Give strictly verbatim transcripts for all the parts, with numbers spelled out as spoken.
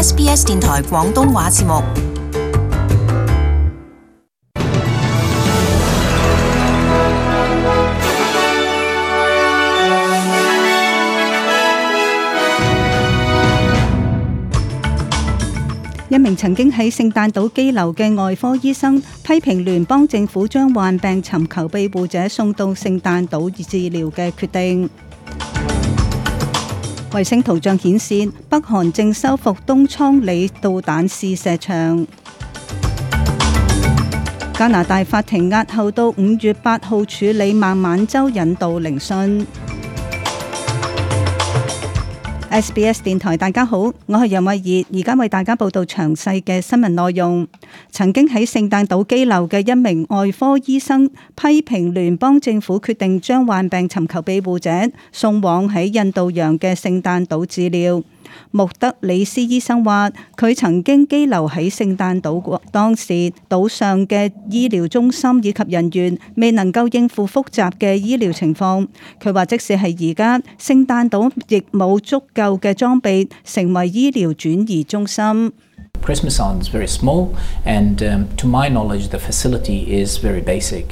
S B S 電台廣東話節目。一名曾經喺聖誕島羈留嘅外科醫生批評聯邦政府將患病尋求庇護者送到聖誕島治療嘅決定。衛星圖像顯示，北韓正修復東倉里導彈試射場。加拿大法庭押後到五月八號處理孟晚舟引渡聆訊。S B S 電台大家好，我係楊慧儀，而家為大家報道詳細嘅新聞內容。曾經喺聖誕島羈留嘅一名外科醫生批評聯邦政府決定將患病尋求庇護者送往喺印度洋嘅聖誕島治療。穆德里斯醫生話，佢曾經羈留喺聖誕島，當時島上嘅醫療中心以及人員未能夠應付複雜嘅醫療情況。佢話即使係而家，聖誕島亦冇足夠嘅裝備成為醫療轉移中心。Christmas Island is very small, and um, to my knowledge, the facility is very basic.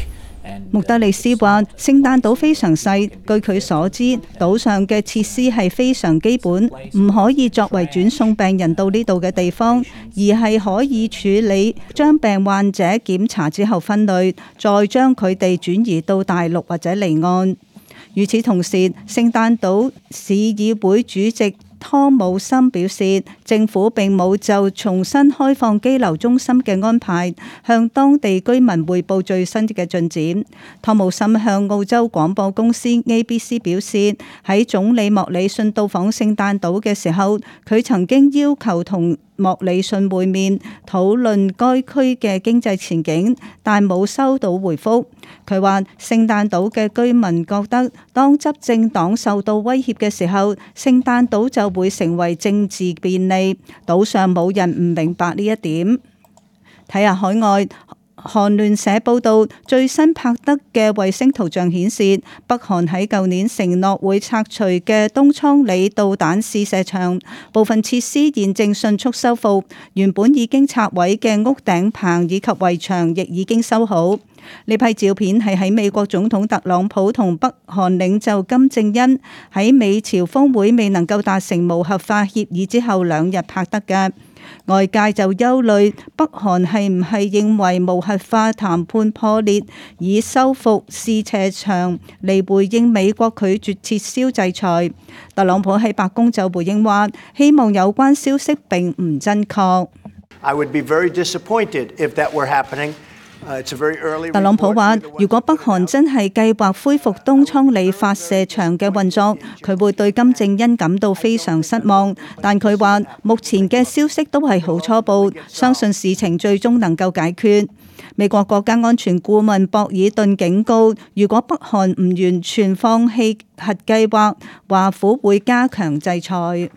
穆德里斯話：聖誕島非常細，據佢所知，島上嘅設施係非常基本，唔可以作為轉送病人到呢度嘅地方，而係可以處理將病患者檢查之後分類，再將佢哋轉移到大陸或者離岸。與此同時，聖誕島市議會主席湯姆森表示，政府並冇就重新開放羈留中心嘅安排向當地居民匯報最新嘅進展。湯姆森向澳洲廣播公司 A B C 表示，喺總理莫里遜到訪聖誕島嘅時候，佢曾經要求同莫里遜會面討論該區嘅經濟前景，但冇收到回覆。佢話聖誕島嘅居民覺得，當執政黨受到威脅嘅時候，聖誕島就會成為政治便利。島上冇人唔明白呢一點。睇下海外。韓聯社報道，最新拍得嘅衛星圖像顯示，北韓喺舊年承諾會拆除嘅東倉里導彈試射場部分設施現正迅速修復，原本已經拆毀嘅屋頂棚以及圍牆亦已經修好。呢批照片係喺美國總統特朗普同北韓領袖金正恩喺美朝峰會未能夠達成無核化協議之後兩日拍得嘅。外界就憂慮北韓係唔係認為無核化談判破裂，以修復試射場嚟回應美國拒絕撤銷制裁。特朗普喺白宮就回應話，希望有關消息並唔真確。I would be very disappointed if that were happening. 特朗普話：如果北韓真係計劃恢復東倉里發射場嘅運作，佢會對金正恩感到非常失望。但佢話目前嘅消息都係好初步，相信事情最終能夠解決。美國國家安全顧問博爾頓警告，如果北韓唔完全放棄核計劃，華府會加強制裁。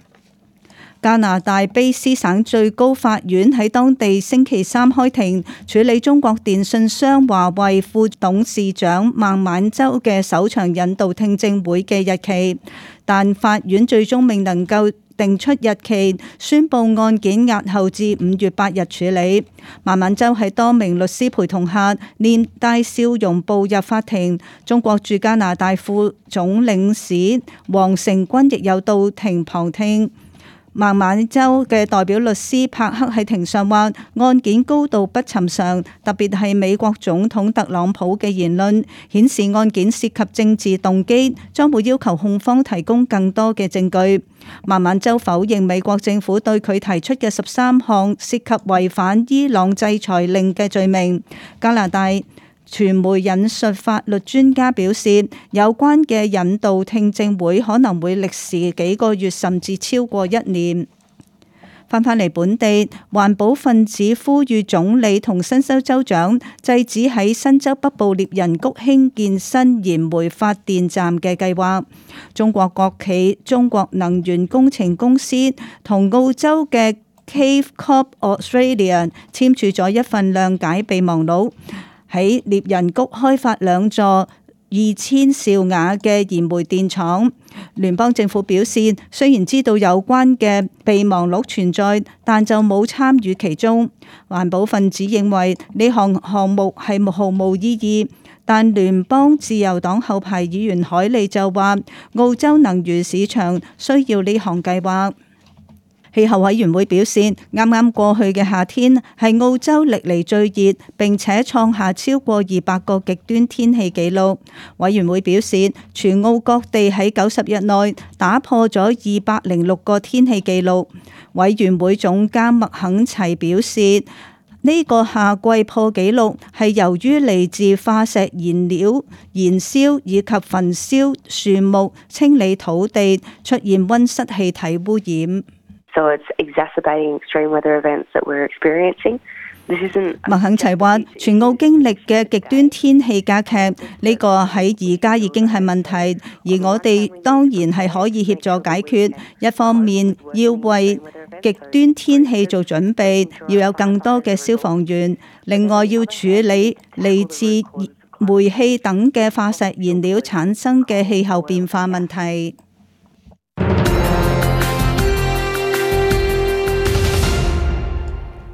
加拿大卑斯省最高法院喺當地星期三開庭處理中國電信商華為副董事長孟晚舟嘅首場引渡聽證會嘅日期，但法院最終未能夠定出日期，宣布案件押後至五月八日處理。孟晚舟喺多名律師陪同下，面帶笑容步入法庭。中國駐加拿大副總領事黃成軍亦有到庭旁聽。孟晚舟嘅代表律師帕克喺庭上話，案件高度不尋常，特別係美國總統特朗普嘅言論顯示案件涉及政治動機，將會要求控方提供更多嘅證據。孟晚舟否認美國政府對佢提出嘅十三項涉及違反伊朗制裁令嘅罪名。加拿大傳媒引述法律專家表示，有關嘅引渡聽證會可能會歷時幾個月，甚至超過一年。翻返嚟本地，環保分子呼籲總理同新州州長制止喺新州北部獵人谷興建新燃煤發電站嘅計劃。中國國企中國能源工程公司同澳洲嘅 Cave Corp Australia 簽署咗一份諒解備忘錄，喺獵人谷開發兩座二千兆瓦嘅燃煤電廠。聯邦政府表示，雖然知道有關嘅備忘錄存在，但就冇參與其中。環保分子認為呢項項目係毫無意義，但聯邦自由黨後排議員海利就話，澳洲能源市場需要呢項計劃。氣候委員會表示，啱啱過去嘅夏天係澳洲歷嚟最熱，並且創下超過二百個極端天氣紀錄。委員會表示，全澳各地喺九十日內打破咗二百零六個天氣紀錄。委員會總監麥肯齊表示，呢個夏季破紀錄係由於嚟自化石燃料燃燒以及焚燒樹木、清理土地，出現溫室氣體污染。So it's exacerbating extreme weather events that we're experiencing. This isn't. 麥肯齊話，全澳經歷嘅極端天氣加劇，呢個喺而家已經係問題，而我哋當然係可以協助解決。一方面要為極端天氣做準備，要有更多嘅消防員；另外要處理嚟自煤氣等嘅化石燃料產生嘅氣候變化問題。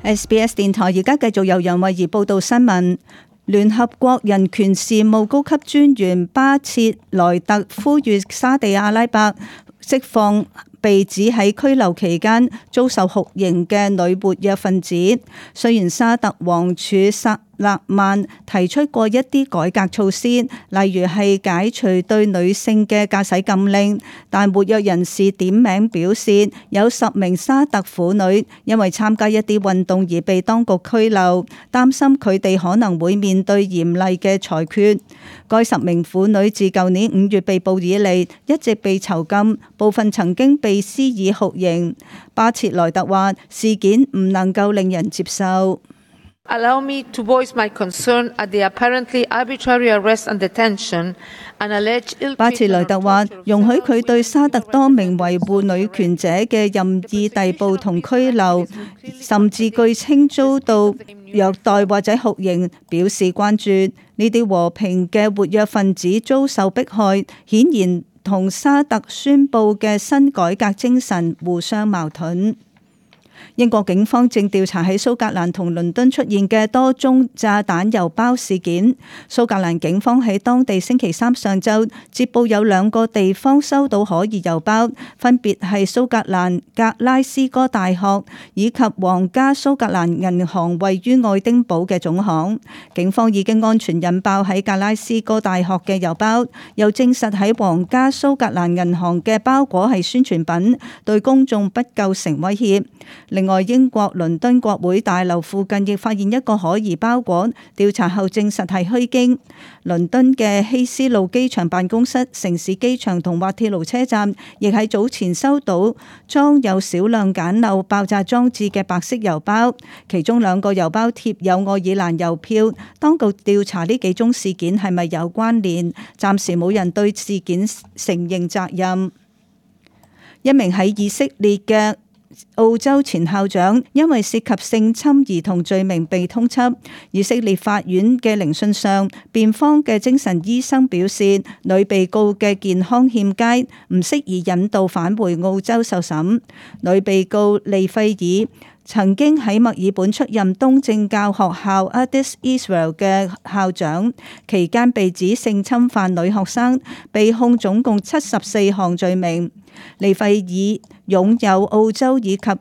S B S 電台而家繼續由楊慧儀報道新聞。聯合國人權事務高級專員巴切萊特呼籲沙地阿拉伯釋放被指喺拘留期間遭受酷刑嘅女活躍分子。雖然沙特王儲薩勒曼提出過一啲改革措施，例如係解除對女性嘅駕駛禁令，但活躍人士點名表示，有十名沙特婦女因為參加一啲運動而被當局拘留，擔心佢哋可能會面對嚴厲嘅裁決。該十名婦女自舊年五月被捕以嚟，一直被囚禁，部分曾經被施以酷刑。巴切萊特話：事件唔能夠令人接受。Allow me to voice my concern at the apparently arbitrary arrest and detention and alleged ill treatment. 巴切萊特話：容許佢對沙特多名維護女權者嘅任意逮捕同拘留，甚至據稱遭到虐待或者酷刑，表示關注。呢啲和平嘅活躍分子遭受迫害，顯然同沙特宣布嘅新改革精神互相矛盾。英國警方正調查喺蘇格蘭同倫敦出現嘅多宗炸彈郵包事件。蘇格蘭警方喺當地星期三上晝接報有兩個地方收到可疑郵包，分別係蘇格蘭格拉斯哥大學以及皇家蘇格蘭銀行位於愛丁堡嘅總行。警方已經安全引爆喺格拉斯哥大學嘅郵包，又證實喺皇家蘇格蘭銀行嘅包裹係宣傳品，對公眾不構成威脅。另外，英國倫敦國會大樓附近亦發現一個可疑包裹，調查後證實係虛驚。倫敦嘅希斯路機場辦公室、城市機場同滑鐵盧車站亦喺早前收到裝有少量簡陋爆炸裝置嘅白色郵包，其中兩個郵包貼有愛爾蘭郵票。當局調查呢幾宗事件係咪有關聯，暫時冇人對事件承認責任。一名喺以色列嘅澳洲前校長因為涉及性侵兒童罪名被通緝。以色列法院嘅聆訊上，辯方嘅精神醫生表示，女被告嘅健康欠佳，唔適宜引渡返回澳洲受審。女被告利費爾曾經喺墨爾本出任東正教學校 Addis Israel 嘅校長，期間被指性侵犯女學生，被控總共七十四項罪名。利費爾擁有澳洲以及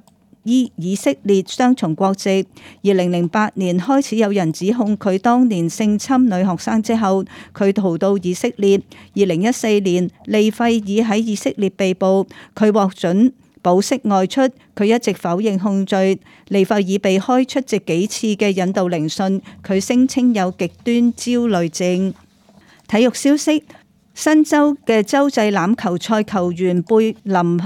以以色列雙重國籍。二零零八年開始有人指控佢當年性侵女學生之後，佢逃到以色列。二零一四年，利費爾喺以色列被捕，佢獲准保釋外出，佢一直否認控罪。利費爾被開出席幾次嘅引渡聆訊，佢聲稱有極端焦慮症。體育消息。新州嘅洲際欖球賽球員貝林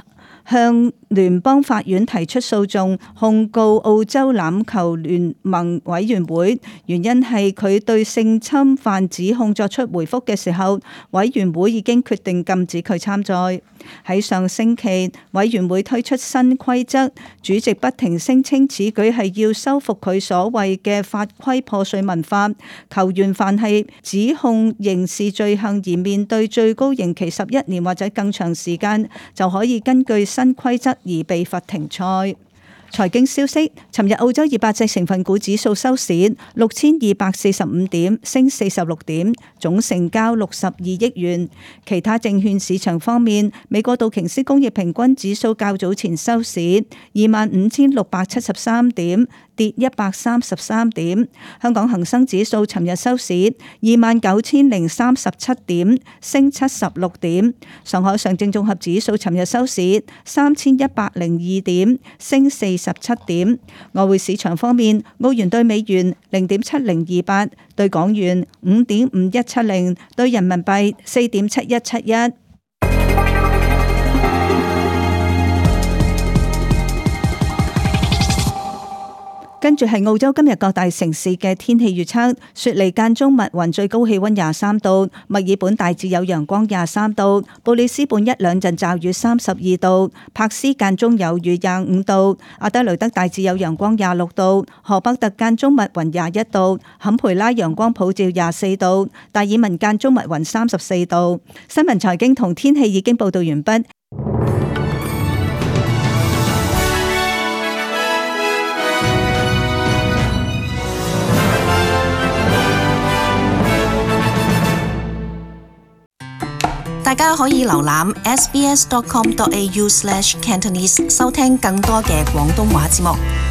向聯邦法院提出訴訟控告澳洲欖球聯盟委員會，原因係佢對性侵犯指控作出回覆嘅時候，委員會已經決定禁止佢參賽。喺上星期，委員會推出新規則，主席不停聲稱此舉係要修復佢所謂嘅法規破碎文化。球員凡係指控刑事罪行而面對最高刑期十一年或者更長時間，就可以根據新規則而被罰停賽。財經消息，尋日澳洲二百隻成分股指數收市六千二百四十五點，升四十六點，總成交六十二億元。其他證券市場方面，美國道瓊斯工業平均指數較早前收市二萬五千六百七十三點，跌一百三十三點。香港恒生指數尋日收市二萬九千零三十七點，升七十六點。上海上證綜合指數尋日收市三千一百零二點，升四十七點。外匯市場方面，澳元對美元零點七零二八，對港元五點五一七零，對人民幣四點七一七一。跟住係澳洲今日各大城市嘅天氣預測：雪梨間中密雲，最高氣溫廿三度；墨爾本大致有陽光，廿三度；布里斯本一兩陣驟雨，三十二度；柏斯間中有雨，廿五度；阿德雷德大致有陽光，廿六度；荷伯特間中密雲，廿一度；坎培拉陽光普照，廿四度；達爾文間中密雲，三十四度。新聞財經同天氣已經報道完畢。大家可以瀏覽 s b s dot com dot a u slash cantonese 收聽更多嘅廣東話節目。